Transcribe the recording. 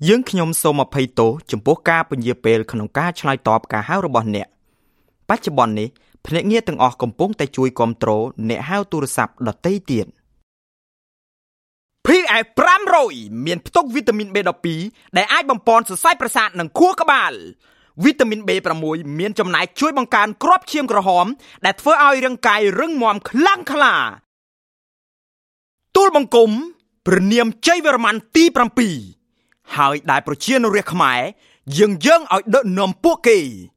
យើងខ្ញុំសូមអភ័យទោសចំពោះការពន្យាពេលក្នុងការឆ្លើយតបការហៅរបស់អ្នកបច្ចុប្បន្ននេះភ្នាក់ងារទាំងអស់កំពុងតែជួយគាំទ្រអ្នកហៅទូរស័ព្ទដទៃទៀត PF 500មានផ្ទុកវីតាមីន B12 ដែលអាចបំប៉នសរសៃប្រសាទនិងខួរក្បាលវីតាមីន B6 មានចំណែកជួយបង្កើនគ្រាប់ឈាមក្រហមដែលធ្វើឲ្យរាងកាយរឹងមាំខ្លាំងក្លាទូលបង្គំព្រះនាមជ័យវរ្ម័នទី7ហើយដែលប្រជានរាជខ្មែរយើងយើងឲ្យដឹកនាំពួកគេ។